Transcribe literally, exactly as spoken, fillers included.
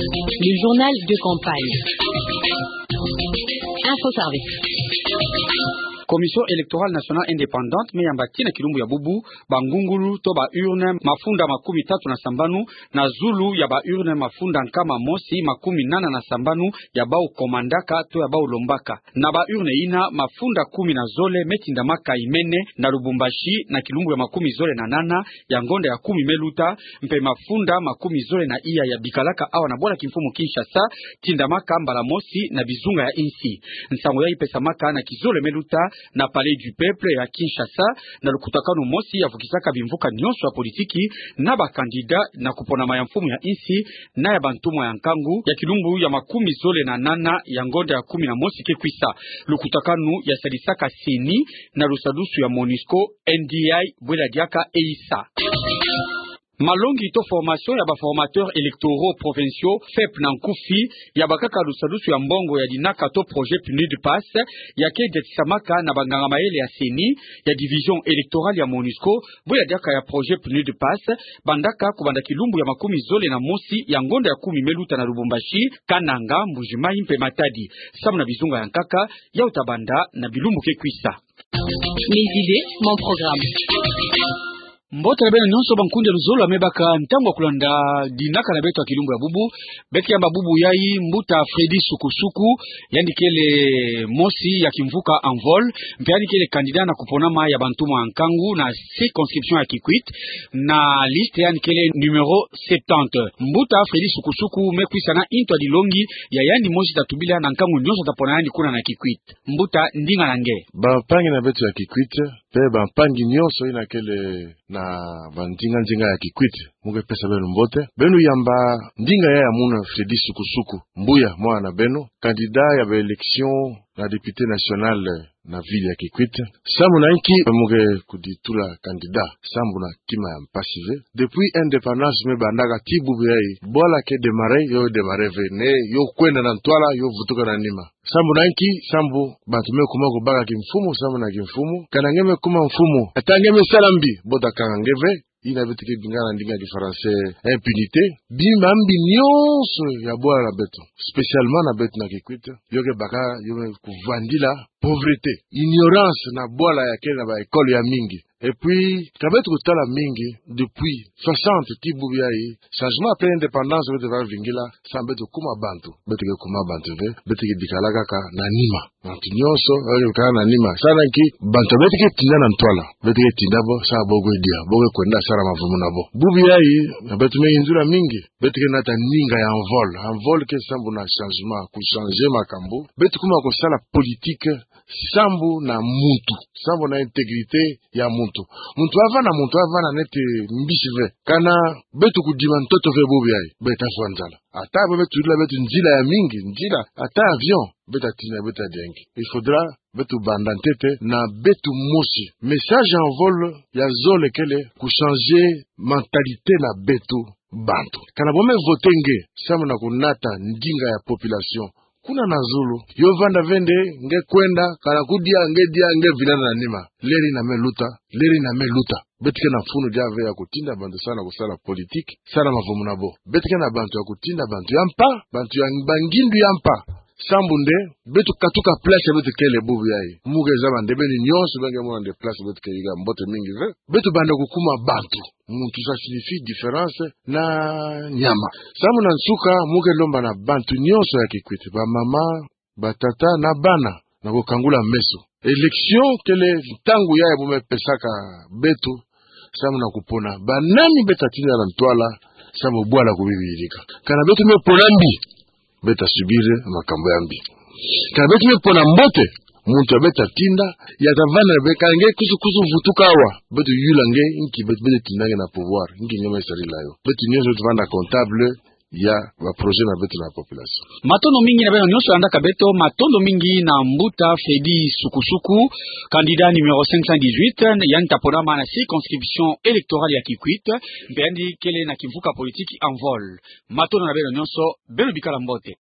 Le journal de campagne. Info Service. Commission électorale nationale indépendante me yamba tii na kilumbu ya bubu bangungulu to ba urne mafunda makumi tatu na sambanu na zulu ya ba urne mafunda nkama mosi makumi nana na sambanu ya bau komandaka to ya bau lombaka. Na ba urne ina, mafunda kumi na zole me tindamaka imene na Lubumbashi na kilumbu ya makumi zole na nana ya ngonda ya kumi me luta, mpe mafunda makumi zole na iya ya bikalaka awa na bwala kimfumu Kinshasa tindamaka mbala mosi na bizunga ya insi. Nsangu yayi pesamaka na kizole me luta na Palais du Peuple ya Kinshasa, na lukutakanu mosi ya vukisaka bimvuka nyonso ya politiki na ba candidat na kuponama ya mfumu ya insi na ya bantumwa ya nkangu ya kilumbu ya makumi zole na nana ya ngonda ya kumi na mosi ke kwisa. Lukutakanu ya sadisaka CENI na lusadusu ya MONUSCO, NDI bwela diaka eisa. Malongi to formation ya ba formateurs électoraux provinciaux, FEP na nkufi, ya bakaka lusadusu ya mbongo ya dinaka to projet PNUD PASS, ya ke diatisamaka na banganga mayele ya CENI, ya division électorale ya MONUSCO, bwela diaka ya projet PNUD PASS, bandaka kubanda kilumbu ya makumi zole na mosi ya ngonda ya kumi me luta na Lubumbashi, Kananga, Mbuji-Mayi mpe Matadi. Samu na bizunga ya nkaka, yau tabanda na bilumbu ke kwisa. Mes idées, mon programme. Mbote na beno nyonso bankundi ya luzolo ya me baka ntangu ya kulanda dinaka na beto ya kilumbu ya bubu. Beke yamba bubu yayi mbuta Freddy Sukusuku, yandi kele mosi ya kimvuka Envol, mpe yandi kele candidat na kuponama ya bantumwa ya nkangu na circonscription ya Kikwit, na liste yandi kele numéro septante. Mbuta Freddy Sukusuku me kwisa na ntu ya dilongi ya yandi mosi tatubila na nkangu nyonso tapona yandi kuna na Kikwit. Mbuta, ndinga na nge. Bampangi na beto ya Kikwit, mpe bampangi nyonso ina kele na bandinga ndinga ya Kikwit, mu ke pesa beno mbote. Beno yamba ndinga ya ya muna Freddy Sukusuku, Mbuya, mwana na beno, candidat ya ba élection na député national na ville ya Kikwit. Samu na inki mu ke kuditula candidat? Samu na kima ya mpasi ve. Depuis indépendance me bandaka tii bubu yayi, bwala ke démarrer, yo démarrer ve, ne yo kwenda na ntwala, yo vutuka na nima. Sambu na nki? Sambu bantu me kuma kubaka kimfumu, sambu na kimfumu. Kana nge me kuma mfumu, ata nge me sala mbi, bota kanga nge ve. Ina beto ke bingana ndinga ki français impunité. Bima mbi nyonso ya bwala na beto, spécialement na beto na Kikwit, yo ke baka, yo me kuvandila pauvreté, ignorance na bwala ya kele na ba école ya mingi. Et puis, ka beto kutala mingi, depuis soixante tii bubu yayi, changement après indépendance beto va vingila, sambu beto kuma bantu, beto ke kuma bantu ve, beto ke bikala kaka na nima. Bantu nyonso, beto ke bikala na nima. Sambu na nki? Bantu beto ke tinda na ntwala, beto ke tinda bo, sa bo kwe dia, bo kwe kwenda sala mavumu na bo. Bubu yayi, na beto me yinzula mingi, beto ke nata ndinga ya Envol. Envol ke sambu na changement, ku changer makambu. Beto kuma kusala politique, sambu na muntu, sambu na intégrité ya muntu. Muntu avana, muntu avana neti mbisi ve. Kana beto kudima ntoto ve bubu yayi, beto tafwa nzala. Ata bo beto yula beto nzila ya mingi, nzila, ata avion, beto tatina, beto tadia nge. Il faudra beto banda ntete na beto mosi. Message ya Envol ya zole kele ku changer mentalité na beto bantu. Kana bo me voter nge, sambu na kunata ndinga ya population kuna na zulu. Yo vanda ve nde, nge kwenda, kana kudia, nge dia, nge vilana na nima. Leri na me luta, leri na me luta. Beto ke na mfunu dia ve ya kutinda bantu sala na kusala politique, sala mavumu na bo. Beto ke na bantu ya kutinda bantu ya mpa, bantu ya bangindu ya mpa. Sambu nde, beto katuka place ya beto kele bubu yayi. Mu ke zaba nde beno nyonso beno ke mona nde place beto ke yika mbote mingi ve. Beto banda kukuma bantu. Muntu, ça signifie différence na nyama. Sambu na nsuka, mu ke lomba na bantu nyonso ya Kikwit, bamama, batata na bana, na kukangula meso. Élection kele ntangu yayi bo me pesaka beto, sambu na kupona banani beto tatinda na ntwala, sambu bwala kubibi yirika. Kana beto me pona mbi, beto ta subir makambu ya mbi. Kana beto me pona mbote, muntu ya beto tatinda, ya tavanda ve, kana nge kusu kusu vutuka awa, beto yula nge, nki beto, beto tinda nge na pouvoir, nki nge me sarila yo. Beto nyonso beto vanda comptable ya ba projet na beto na population. Matondo mingi na beno nyonso landaka beto, matondo mingi na mbuta Freddy Sukusuku, candidat numéro cinq cent dix-huit, yandi taponama na circonscription électorale ya Kikwit, mpe yandi kele na kimvuka politique Envol. Matondo na beno nyonso, beno bikala mbote.